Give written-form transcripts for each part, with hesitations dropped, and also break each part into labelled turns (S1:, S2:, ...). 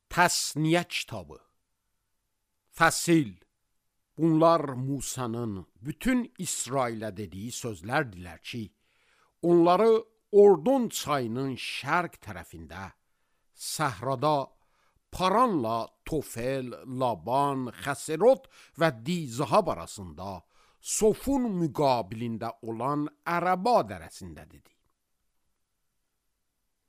S1: Təsniyə kitabı. Fəsil. Bunlar Musanın bütün İsrailə dediyi sözlərdilər ki, onları Ordon çayının şərq tərəfində, səhrada Paranla Tofel, Laban, Xəserot və Dizahab arasında, Sofun müqabilində olan Ərəba dərəsində dedi.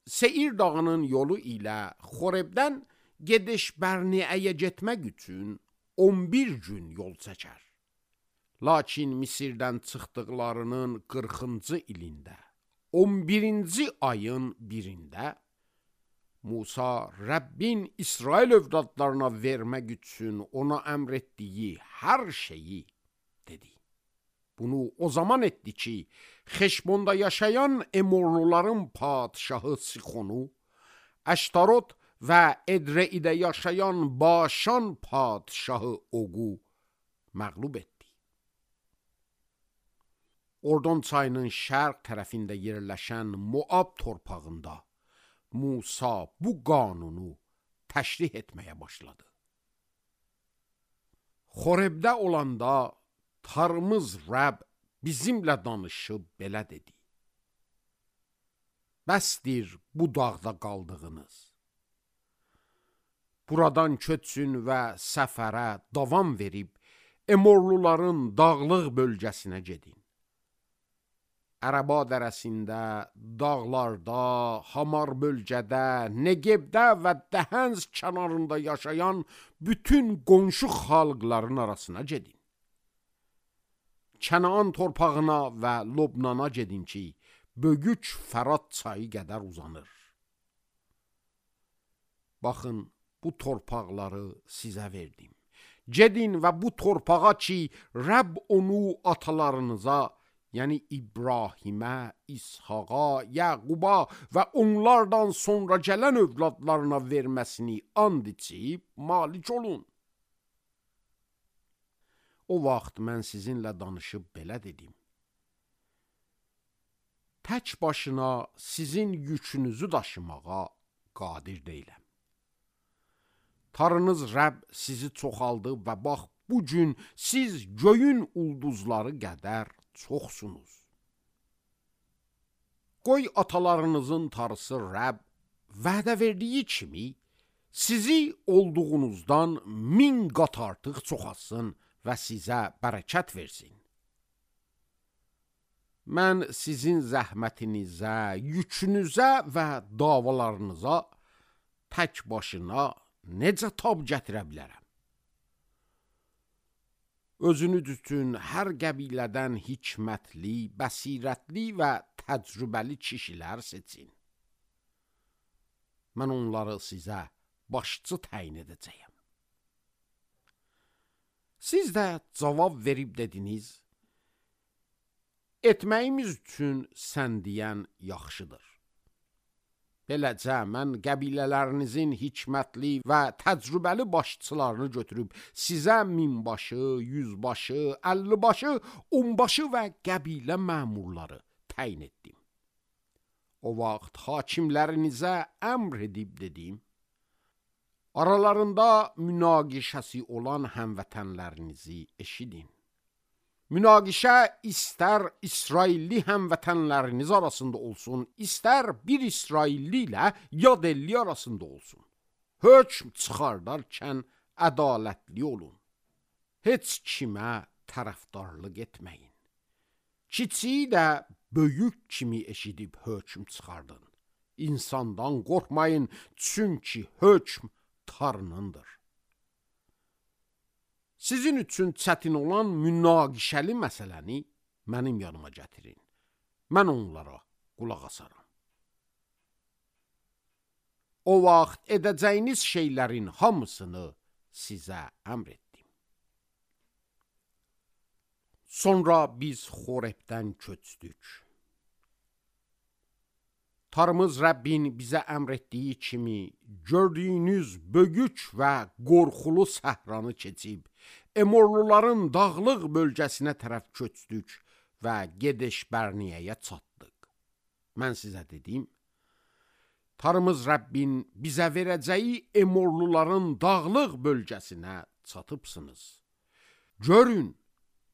S1: Seir dağının yolu ilə Xorebdən Gedeş-Bərneəyə getmək üçün 11 gün yol çəkər. Lakin Misirdən çıxdıqlarının 40-cı ilində, 11-ci ayın birində Musa Rəbbin İsrail övladlarına vermək üçün ona əmr etdiyi hər şeyi dedi. Bunu o zaman etdi ki, Xeşbonda yaşayan Emorluların padişahı Sixonu, Əştarot və Edreidə yaşayan Başan padişahı Oqu məğlub etdi. Ordon çayının şərq tərəfində yerləşən Moab torpağında Musa bu qanunu təşrih etməyə başladı. Xorebdə olanda Tanrımız Rəbb bizimlə danışıb belə dedi. Bəsdir bu dağda qaldığınız. Buradan köçün və səfərə davam verib Emorluların dağlıq bölgəsinə gedin. Ərəba dərəsində, dağlarda, Hamar bölgədə, Negebdə və Dəhənz kənarında yaşayan bütün qonşu xalqların arasına gedin. Kənaan torpağına və Lobnana gedin ki, Bögük Fərat çayı qədər uzanır. Baxın, bu torpaqları sizə verdim. Gedin və bu torpağa ki, Rəbb onu atalarınıza, yəni İbrahimə, İshaqa, Yaquba və onlardan sonra gələn övladlarına verməsini and içib malik olun. O vaxt mən sizinlə danışıb belə dedim. Tək başına sizin yükünüzü daşımağa qadir deyiləm. Tanrınız Rəbb sizi çoxaldıb və bax, bugün siz göyün ulduzları qədər çoxsunuz. Qoy atalarınızın Tanrısı Rəbb vədə verdiyi kimi sizi olduğunuzdan 1000 qat artıq çoxalsın və sizə bərəkət versin. Mən sizin zəhmətinizə, yükünüzə və davalarınıza tək başına necə tab gətirə bilərəm? Özünüz üçün hər qəbilədən hikmətli, bəsirətli və təcrübəli kişilər seçin. Mən onları sizə başçı təyin edəcəyəm. Siz də cavab verib dediniz, etməyimiz üçün sən deyən yaxşıdır. Beləcə, mən qəbilələrinizin hikmətli və təcrübəli başçılarını götürüb sizə 1000 başı, 100 başı, 50 başı, 10 başı və qəbilə məmurları təyin etdim. O vaxt hakimlərinizə əmr edib dedim, aralarında münaqişəsi olan həmvətənlərinizi eşidin. Münaqişə istər İsrailli həmvətənləriniz arasında olsun, istər bir İsrailli ilə yad elli arasında olsun. Hökm çıxardarkən ədalətli olun. Heç kimə tərəfdarlıq etməyin. Kiçiyi də böyük kimi eşidib hökm çıxardın. İnsandan qorxmayın, çünki hökm Tanrınındır. Sizin üçün çətin olan münaqişəli məsələni mənim yanıma gətirin. Mən onlara qulaq asaram. O vaxt edəcəyiniz şeylərin hamısını sizə əmr etdim. Sonra biz Xorebdən köçdük. Tanrımız Rəbbin bizə əmr etdiyi kimi gördüyünüz bögük və qorxulu səhranı keçib, Emorluların dağlıq bölgəsinə tərəf köçdük və Gedeş-Bərneəyə çatdıq. Mən sizə dedim, Tarımız Rəbbin bizə verəcəyi Emorluların dağlıq bölgəsinə çatıbsınız. Görün,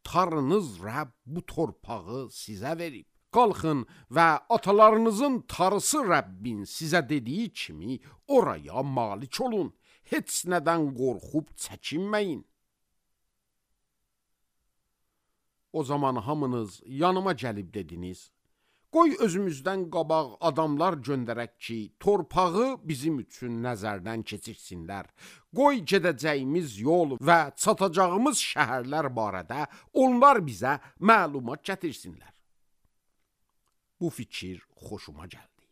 S1: Tanrınız Rəbb bu torpağı sizə verib. Qalxın və atalarınızın tarısı Rəbbin sizə dediyi kimi oraya malik olun. Heç nədən qorxub çəkinməyin. O zaman hamınız yanıma gəlib dediniz, qoy özümüzdən qabaq adamlar göndərək ki, torpağı bizim üçün nəzərdən keçirsinlər. Qoy gedəcəyimiz yol və çatacağımız şəhərlər barədə onlar bizə məlumat gətirsinlər. Bu fikir xoşuma gəldi.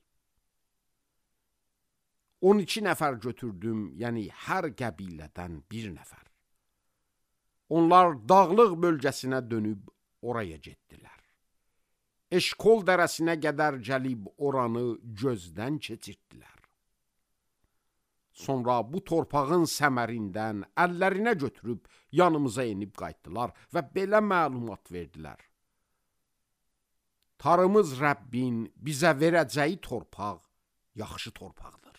S1: 12 nəfər götürdüm, yəni hər qəbilədən bir nəfər. Onlar dağlıq bölgəsinə dönüb oraya getdilər. Eşkol dərəsinə qədər gəlib oranı gözdən keçirtdilər. Sonra bu torpağın səmərindən əllərinə götürüb yanımıza enib qayıtdılar və belə məlumat verdilər. Tarımız Rəbbin bizə verəcəyi torpaq yaxşı torpaqdır.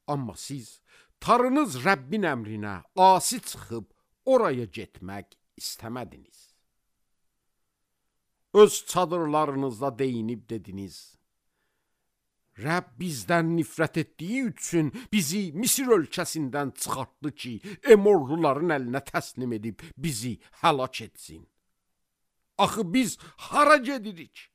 S1: Amma siz Tanrınız Rəbbin əmrinə asi çıxıb oraya getmək istəmədiniz. Öz çadırlarınızda deyinib dediniz, Rəbb bizdən nifrət etdiyi üçün bizi Misir ölkəsindən çıxartdı ki, Emorluların əlinə təslim edib bizi həlak etsin. Axı biz hara gedirik?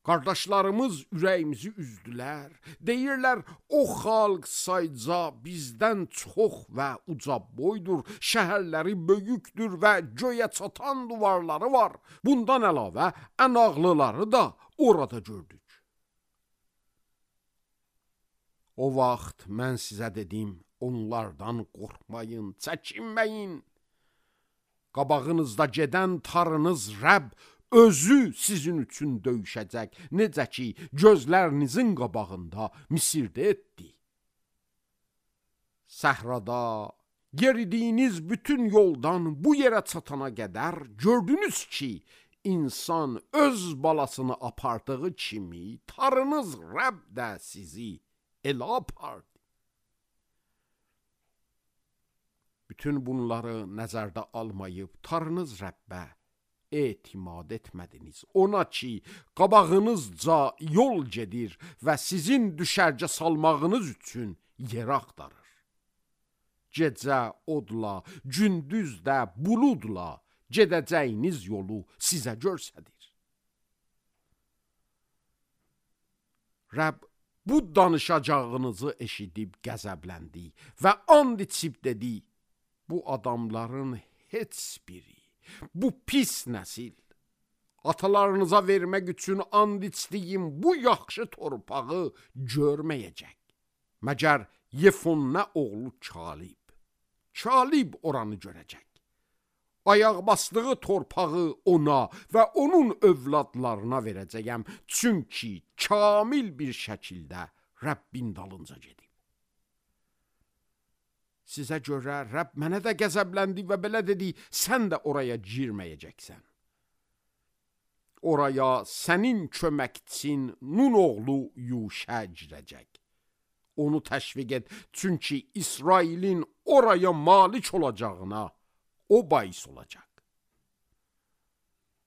S1: Qardaşlarımız ürəyimizi üzdülər. Deyirlər, o xalq sayca bizdən çox və uca boydur, şəhərləri böyükdür və göyə çatan duvarları var. Bundan əlavə ən ağlıları da orada gördük. O vaxt mən sizə dedim, onlardan qorxmayın, çəkinməyin. Qabağınızda gedən Tanrınız Rəbb özü sizin üçün döyüşəcək, necə ki, gözlərinizin qabağında Misirdə etdi. Səhrada yeridiyiniz bütün yoldan bu yerə çatana qədər gördünüz ki, insan öz balasını apardığı kimi Tanrınız Rəbb də sizi elə apardı. Bütün bunları nəzərdə almayıb Tanrınız Rəbbə etimad etmədiniz. Ona ki, qabağınızca yol gedir və sizin düşərgə salmağınız üçün yer axtarır. Gecə odla, gündüz də buludla gedəcəyiniz yolu sizə göstərir. Rəbb bu danışacağınızı eşidib qəzəbləndi və and içib dedi, bu adamların heç biri, bu pis nəsil, atalarınıza vermək üçün and içdiyim bu yaxşı torpağı görməyəcək. Məgər Yefunne oğlu Kalib oranı görəcək. Ayaq basdığı torpağı ona və onun övladlarına verəcəyəm, çünki kamil bir şəkildə Rəbbin dalınca gedib. Sizə görə Rəbb mənə də qəzəbləndi və belə dedi, sən də oraya girməyəcəksən. Oraya sənin köməkçin Nun oğlu Yuşə girəcək. Onu təşviq et, çünki İsrailin oraya malik olacağına o bais olacaq.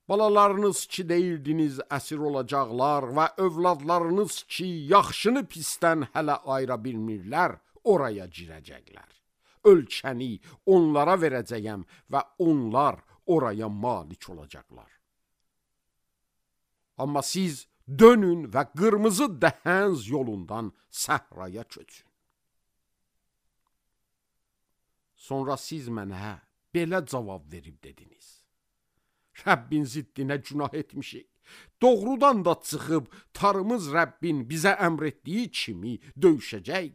S1: Balalarınız ki deyirdiniz əsir olacaqlar və övladlarınız ki yaxşını pisdən hələ ayıra bilmirlər, oraya girəcəklər. Ölkəni onlara verəcəyəm və onlar oraya malik olacaqlar. Amma siz dönün və qırmızı dəhənz yolundan səhraya köçün. Sonra siz mənə belə cavab verib dediniz. Rəbbin ziddinə günah etmişik. Doğrudan da çıxıb Tanrımız Rəbbin bizə əmr etdiyi kimi döyüşəcək.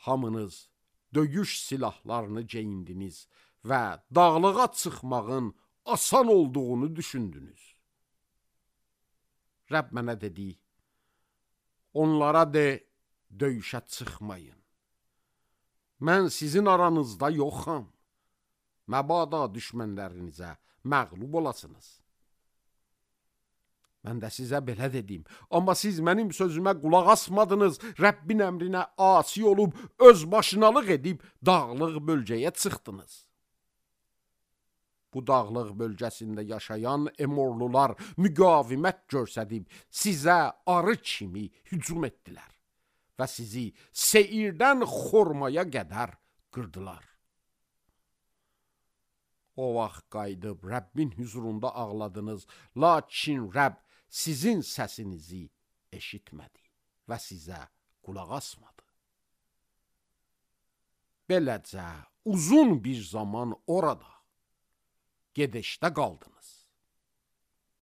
S1: Hamınız döyüş silahlarını geyindiniz və dağlığa çıxmağın asan olduğunu düşündünüz. Rəbb mənə dedi, onlara de, döyüşə çıxmayın. Mən sizin aranızda yoxam. Məbada düşmənlərinizə məğlub olasınız. Mən də sizə belə dedim, amma siz mənim sözümə qulaq asmadınız, Rəbbin əmrinə asi olub, öz başınalıq edib, dağlıq bölgəyə çıxdınız. Bu dağlıq bölgəsində yaşayan Emorlular müqavimət göstərib, sizə arı kimi hücum etdilər və sizi Seirdən Xormaya qədər qırdılar. O vaxt qayıdıb Rəbbin hüzurunda ağladınız, lakin Rəbb sizin səsinizi eşitmədi və sizə qulaq asmadı. Beləcə uzun bir zaman orada gedişdə qaldınız.